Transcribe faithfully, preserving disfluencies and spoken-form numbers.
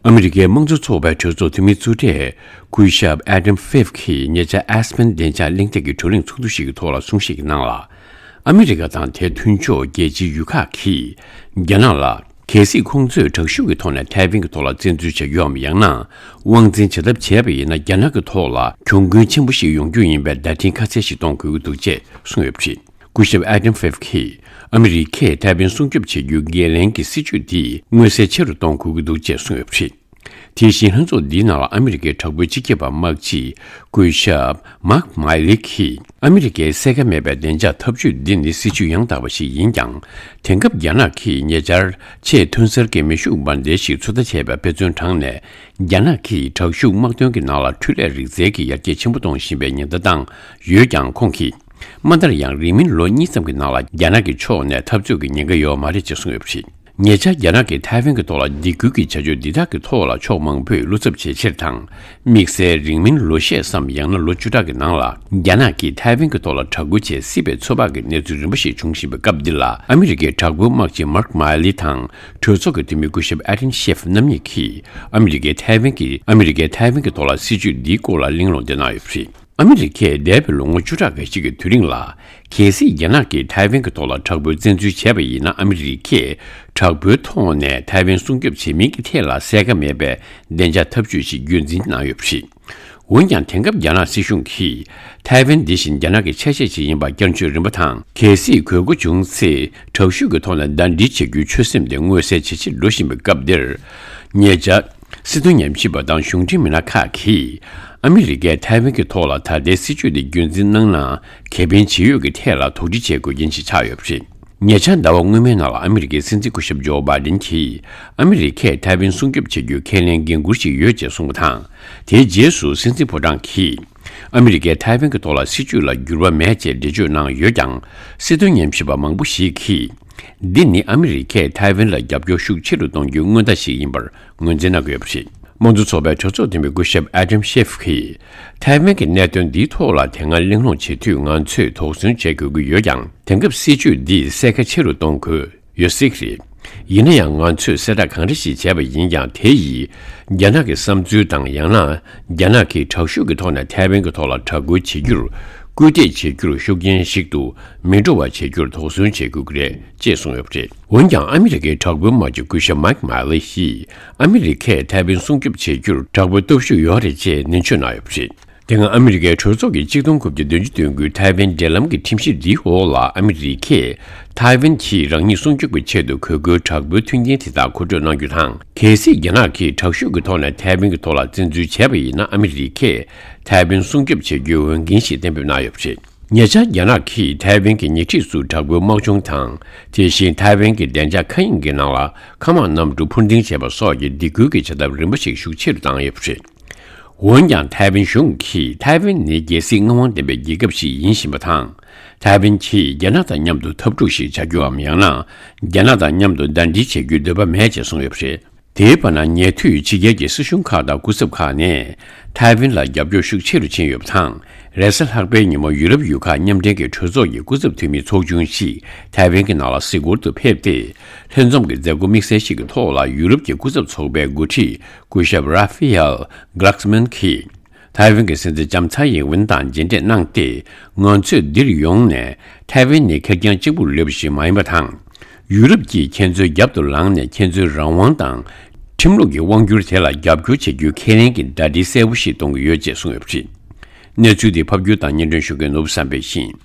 ཨ་མི་རི་ཀའི་དམངས་གཙོ་ཚོགས་པའི་གྲོས་ཚོགས་འཐུས་མི་གཙོ་གྲས་སྐུ་ཞབས་ཨེ་ཌམ་ཕིབ་ཀྱིས་ཉེ་ཆར་ཨེ་སི་པན་བདེ་འཇགས་གླེང་སྟེགས་ཀྱི་བགྲོ་གླེང་ཚོགས་འདུ་ཞིག་གི་ཐོག་ལ་གསུང་བཤད་ཀྱི་ནང་ལ། ཨ་མི་རི་ཀ་དང་དེའི་མཐུན་ཕྱོགས་རྒྱལ་སྤྱིའི་ཡུལ་ཁག་གིས་རྒྱ་ནག་ལ། གལ་སྲིད་ཁོང་ཚོས་དྲག་ཤུགས་ཀྱི་ཐོག་ནས་ཐའེ་ཝན་གྱི་ཐོག་ལ་བཙན་འཛུལ་བྱ་རྒྱུའམ། ཡང་ན་དབང་འཛིན་བྱ་ཐབས་བྱས་པ་ཡིན་ན། རྒྱ་ནག་གི་ཐོག་ལ་གྱོང་གུན་ཆེན་པོ་ཞིག་ཡོང་རྒྱུ་ཡིན་པའི་བརྡ་འཕྲིན་ཁ་གསལ་ཞིག་གཏོང་དགོས་ཀྱི་འདུག་ཅེས་གསུངས་ཡོད་པ་རེད། སྐུ་ཞབས་ཨེ་ཌམ་ཕིབ་ཀྱིས་ཨ་མི་རི་ཀས་ཐའེ་ཝན་སྲུང་སྐྱོབ་བྱེད་རྒྱུའི་འགན་ལེན་གྱི་སྲིད་ཇུས་འདི་མངོན་གསལ་ཆེ་རུ་གཏོང་དགོས་ཀྱི་འདུག་ཅེས་གསུངས་ཡོད་པ་རེད། དེ་བཞིན་ལྷན་ཚོགས་འདིའི་ནང་ལ་ཨ་མི་རི་ཀའི་དྲག་པོའི་སྤྱི་ཁྱབ་པ་དམག་སྤྱི་སྐུ་ཞབས་མཱག་མཱི་ལི་གིས། ཨ་མི་རི་ཀའི་གསལ་ཁ་མེད་པའི་བདེ་འཇགས་འཐབ་ཇུས་འདི་ནི་སྲིད་ཇུས་ཡང་དག་པ་ཞིག་ཡིན་ཀྱང་། དེང་སྐབས་རྒྱ་ནག་གིས་ཉེ་ཆར་ཆེས་ཐོན་གསར་གྱི་མེ་ཤུགས་འབར་མདེལ་ཞིག་ཚོད་ལྟ་བྱས་པའི་དཔེ་མཚོན་དྲངས་ནས། རྒྱ་ནག་གིས་དྲག་ཤུགས་དམག་དོན་གྱི་ནང་ལ་འཕྲུལ་ལས་རིག་རྩལ་གྱི་ཡར་རྒྱས་ཆེན་པོ་གཏོང་བཞིན་པའི་ཉེན་བརྡ་བཏང་ཡོད་ཀྱང་། ཁོང་གིས། མ་མཐར་ཡང་རིང་མིན་ལོ་གཉིས་ཙམ་གྱི་ནང་ལ་རྒྱ་ནག་གི་ཕྱོགས་ནས་འཐབ་རྩོད་ཀྱི་ཉེན་ཁ་ཡོད་མ་རེད་ཅེས་གསུངས་ཡོད་པ་རེད། ཉེ་ཆར་རྒྱ་ནག་གིས་ཐའེ་ཝན་གྱི་ཐོག་ལ་སྡིགས་སྐུལ་གྱི་བྱ་སྤྱོད་འདི་དག་གི་ཐོག་ལ་ཕྱོགས་མང་པོས་བློ་འཚབ་བྱེད་ཕྱིར་དང་། དམིགས་བསལ་རིང་མིན་ལོ་ཤས་སམ། ཡང་ན་ལོ་བཅུ་ཕྲག་གི་ནང་ལ་རྒྱ་ནག་གིས་ཐའེ་ཝན་གྱི་ཐོག་ལ་དྲག་རྒོལ་བྱེད་སྲིད་པའི་ཚོད་དཔག་གི་གནས་ཚུལ་རིམ་པ་ཞིག་འབྱུང་བཞིན་པའི་སྐབས་འདི་ལ། ཨ་མི་རི་ཀའི་དྲག་པོའི་དམག་སྤྱི་མཱག་མཱ་ལི་དང་གྲོས་ཚོགས་ཀྱི་འཐུས་མི་སྐུ་ཞབས་ཨེ་ཌམ་ཤེབ་རྣམ་གཉིས་ཀྱིས་ཨ་མི་རི་ཀའི་ཐའེ་ཝན་གྱི་ཨ་མི་རི་ཀའི་ཐའེ་ཝན་གྱི་ཐོག་ལ་སྲིད་ཇུས་འདིའི་སྐོར་ལ་གླེང་སློང་བསྡད་གནང་ཡོད་པ་རེད། ཨ་མི་རི་ཀས་འདས་པའི་ལོ་ངོ་བཅུ་ཕྲག་འགའ་ཞིག་གི་དུས་རིང་ལ། གལ་སྲིད་རྒྱ་ནག་གིས་ཐའེ་ཝན་གྱི་ཐོག་ལ་དྲག་པོའི་བཙན་འཛུལ་བྱས་པ་ཡིན་ན། ཨ་མི་རི་ཀས་དྲག་པོའི་ཐོག་ནས་ཐའེ་ཝན་སྲུང་སྐྱོབ་བྱེད་མིན་གྱི་ཐད་ལ་གསལ་ཁ་མེད་པའི་བདེ་འཇགས་འཐབ་ཇུས་ཤིག་རྒྱུན་འཛིན་གནང་ཡོད་པ་རེད། འོན་ཀྱང་། དེང་སྐབས་རྒྱ་ནག་སྲིད་གཞུང་གིས་ཐའེ་ཝན་འདི་བཞིན་རྒྱ་ནག་གི་ཆ་ཤས་ཤིག་ཡིན་པར་བསྐྱར་བཅོས་རིམ་པ་དང་། གལ་སྲིད་དགོས་མཁོ་བྱུང་ཚེ། དྲག་ཤུགས་ཀྱི་ཐོག་ནས་ཟླ་སྒྲིལ་བྱེད་རྒྱུའི་ཆོད་སེམས་དེ་མངོན་གསལ་ཇེ་ཆེར་འགྲོ་བཞིན་པའི་སྐབས་འདིར། ཉེ་ཆར། སྲིད་དོན་ཉམས་ཞིབ་པ་དང་གཞུང་འབྲེལ་མི་སྣ་ཁག་གིས། ཨ་མི་རི་ཀས་ཐའེ་ཝན་གྱི་ཐོག་ལ་ད་ལྟའི་སྲིད་བྱུས་དེ་རྒྱུན་འཛིན་གནང་ན། ཁེ་ཕན་ཇི་ཡོད་ཀྱི་ཐད་ལ་དོགས་འདྲི་བྱེད་དགོས་རྐྱེན་ཞིག་ཆགས་ཡོད་པ་རེད། ཉེ་ཆར་ཟླ་བ་སྔོན་མའི་ནང་ལ་ཨ་མི་རི་ཀའི་སྲིད་འཛིན་སྐུ་ཞབས་ཇོ་བྷའི་ཌེན་གྱིས། ཨ་མི་རི་ཀས་ཐའེ་ཝན་སྲུང་སྐྱོབ་བྱེད་རྒྱུའི་ཁས་ལེན་འགན་འཁུར་ཞིག་ཡོད་ཅེས་གསུངས་པ་དང་། དེའི་རྗེས་སུ་སྲིད་འཛིན་ཕོ་བྲང་གིས། ཨ་མི་རི་ཀས་ཐའེ་ཝན་གྱི་ཐོག་ལ་སྲིད་བྱུས་ལ་འགྱུར་བ་མེད་ཅེས་འགྲེལ་བརྗོད་གནང་ཡོད་ཀྱང་། སྲིད་དོན་ཉམས་ཞིབ་པ་མང་པོ་ཞིག་གིས། འདི་ནི་ཨ་མི་རི་ཀས་ཐའེ་ཝན་ལ་རྒྱབ་སྐྱོར་ཤུགས་ཆེ་རུ་གཏོང་རྒྱུའི་སྔོན་བརྡ་ཞིག་ཡིན་པར་ངོས་འཛིན་གནང་གི་ཡོད་པ་རེད། དམངས་གཙོ་ཚོགས་པའི་གྲོས་ཚོགས་འཐུས་མི་སྐུ་ཞབས་ཨེ་ཌམ་ཤེབ་ཀྱིས། ཐའེ་ཝན་གྱི་གནད་དོན་འདིའི་ཐོག་ལ་དེ་སྔ་གླེང་སློང་བྱེད་དུས། ང་ཚོས་དོགས་ཟོན་བྱེད་དགོས་ཀྱི་ཡོད་ཀྱང་། དེང་སྐབས་སྲིད་བྱུས་འདིས་གསལ་ཁ་ཆེ་རུ་གཏོང་དགོས་ཡོད་སྲིད་ཀྱི་རེད། ཡིན་ན་ཡང་། ང་ཚོས་གསལ་བསྒྲགས་གང་འདྲ་ཞིག་བྱས་པ་ཡིན་ཀྱང་། དེ་ཡིས་རྒྱ་ནག་གི་བསམ་ཚུལ་དང་། ཡང་ན་རྒྱ་ནག་གིས་དྲག་ཤུགས་ཀྱི་ཐོག་ནས་ཐའེ་ཝན་གྱི་ཐོག་ལ་དྲག་རྒོལ་བྱེད་རྒྱུར་སྐུལ་འདེད་བྱེད་རྒྱུར་ཤུགས་རྐྱེན་ཞིག་ཏུ་མི་འགྲོ་བ་བྱེད་རྒྱུར་དོགས་ཟོན་བྱེད་དགོས་ཀྱི་རེད་ཅེས་གསུངས་ཡོད་པ་རེད། འོན་ཀྱང་། ཨ་མི་རི་ཀའི་དྲག་པོའི་དམག་སྤྱི་སྐུ་ཞབས་མཱིག་མཱ་ལི་ཡིས། ཨ་མི་རི་ཀས་ཐའེ་ཝན་སྲུང་སྐྱོབ་བྱེད་རྒྱུར་དྲག་པོའི་སྟོབས་ཤུགས་ཡོད་རེད་ཅེས་ནན་བརྗོད་གནང་ཡོད་པ་རེད། དེ་སྔ་ཨ་མི་རི་ཀའི་གྲོས་ཚོགས་ཀྱི་གཅིག་སྟོང་དགུ་བརྒྱ་བདུན་ཅུ་དོན་དགུའི་ཐའེ་ཝན་འབྲེལ་ལམ་གྱི་ཁྲིམས་གཞི་འདིའི་འོག་ལ། ཨ་མི་རི་ཀས་ཐའེ་ཝན་གྱིས་རང་ཉིད་སྲུང་སྐྱོབ་ཀྱི་ཆེད་དུ་དགོས་མཁོའི་དྲག་པོའི་མཐུན་རྐྱེན་དེ་དག་མཁོ་སྤྲོད་གནང་རྒྱུ་དང་། གལ་སྲིད་རྒྱ་ནག་གིས་དྲག་ཤུགས་ཀྱི་ཐོག་ནས་ཐའེ་ཝན་གྱི་ཐོག་ལ་བཙན་འཛུལ་བྱས་པ་ཡིན་ན། ཨ་མི་རི་ཀས་ཐའེ་ཝན་སྲུང་སྐྱོབ་བྱེད་རྒྱུའི་འོས་འགན་ཞིག་གཏན་འབེབས་གནང་ཡོད་པ་རེད། ཉེ་ཆར་རྒྱ་ནག་གིས་ཐའེ་ཝན་གྱི་ཉེ་འཁྲིས་སུ་དྲག་པོའི་དམག་སྦྱོང་དང་། དེ་བཞིན་ཐའེ་ཝན་གྱི་བདེ་འཇགས་མཁའ་དབྱིངས་ཀྱི་ནང་ལ་མཁའ་དམག་གནམ་གྲུ་འཕུར་ལྡིང་བྱས་པ་སོགས་ཀྱི་སྡིགས་སྐུལ་གྱི་བྱ་ཐབས་རིམ་པ་ཞིག་ཤུགས་ཆེ་རུ་བཏང་ཡོད་པ་རེད། འོན་ཀྱང་། ཐའེ་ཝན་གཞུང་གིས། ཐའེ་ཝན་ནི་རྒྱལ་སྲིད་མངའ་དབང་ལྡན་པའི་རྒྱལ་ཁབ་ཞིག་ཡིན་བཞིན་པ་དང་། ཐའེ་ཝན་གྱིས་རྒྱ་ནག་དང་མཉམ་དུ་འཐབ་འཁྲུག་ཞིག་བྱ་རྒྱུའམ། ཡང་ན་རྒྱ་ནག་དང་མཉམ་དུ་ཟླ་སྒྲིལ་བྱེད་རྒྱུའི་འདོད་པ་མེད་ཅེས་གསུངས་ཡོད་པ་རེད། དེའི་བར་ན། ཉེ་དུས་ཕྱི་རྒྱལ་གྱི་སྲིད་གཞུང་ཁག་དང་སྐུ་ཚབ་ཁག་ནས་ཐའེ་ཝན་ལ་རྒྱབ་སྐྱོར་ཤུགས་ཆེ་རུ་ཕྱིན་ཡོད་པ་དང་། རེས་གཟའ་ལྷག་པའི་ཉིན་མོ། ཡུ་རོབ་ཡུལ་ཁག་མཉམ་འབྲེལ་གྱི་གྲོས་ཚོགས་ཀྱི་སྐུ་ཚབ་འཐུས་མི་ཚོགས་ཆུང་ཞིག་ཐའེ་ཝན་གྱི་ནང་ལ་གཟིགས་སྐོར་དུ་ཕེབས་ཏེ། ལྷན་འཛོམས་ཀྱི་མཛད་སྒོ་དམིགས་བསལ་ཞིག་གི་ཐོག་ལ། ཡུ་རོབ་ཀྱི་སྐུ་ཚབ་ཚོགས་པའི་འགོ་ཁྲིད་སྐུ་ཞབས་ར་ཧྥི་ཨེལ་གྷ་ལག་སི་མན་གྱིས། ཐའེ་ཝན་གྱི་སྲིད་འཛིན་ལྕམ་ཚའེ་ཡིན་ཝིན་དང་མཇལ་འཕྲད་གནང་སྟེ། ང་ཚོས་འདིར་ཡོང་ནས་ཐའེ་ཝན་ནི་ཁེར་རྐྱང་གཅིག་པུར་ལུས་པ་ཞིག་མ་ཡིན་པ་དང་། ཡུ་རོབ་ཀྱིས་ཁྱེད་ཚོའི་རྒྱབ་ཏུ་ལངས་ནས། ཁྱེད་ཚོའི་རང་དབང་དང་ཁྲིམས་ལུགས་ཀྱི་དབང་སྒྱུར་དེ་ལ་རྒྱབ་སྐྱོར་བྱེད་རྒྱུའི་ཁས་ལེན་གྱི་བརྡ་འཕྲིན་གསལ་པོ་ཞིག་གཏོང་གི་ཡོད་ཅེས་གསུངས་ཡོད་པ་རེད། གནས་ཚུལ་འདི་ཕབ་སྒྱུར་དང་སྙན་སྒྲོན་ཞུ་མཁན་ནོར་བུ་བསམ་འཕེལ་ཡིན།